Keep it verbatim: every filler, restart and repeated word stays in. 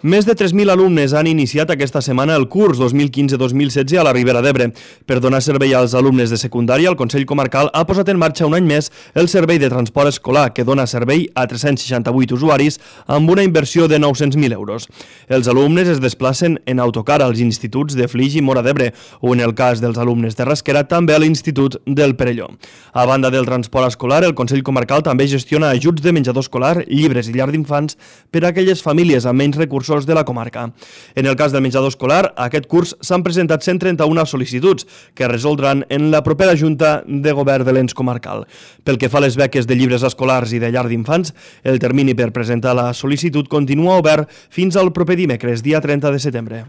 Més de tres mil alumnes han iniciat aquesta setmana el curs dos mil quinze dos mil setze a la Ribera d'Ebre. Per donar servei als alumnes de secundària, el Consell Comarcal ha posat en marxa un any més el servei de transport escolar, que dona servei a tres-cents seixanta-vuit usuaris amb una inversió de nou-cents mil euros. Els alumnes es desplacen en autocar als instituts de Flix i Móra d'Ebre o, en el cas dels alumnes de Rasquera, també a l'Institut del Perelló. A banda del transport escolar, el Consell Comarcal també gestiona ajuts de menjador escolar, llibres i llar d'infants per a aquelles famílies amb menys recursos de la comarca. En el cas del menjador escolar, aquest curs s'han presentat cent trenta-una sol·licituds que es resoldran en la propera Junta de Govern de l'Ens Comarcal. Pel que fa a les beques de llibres escolars i de llar d'infants, el termini per presentar la sol·licitud continua obert fins al proper dimecres, dia trenta de setembre.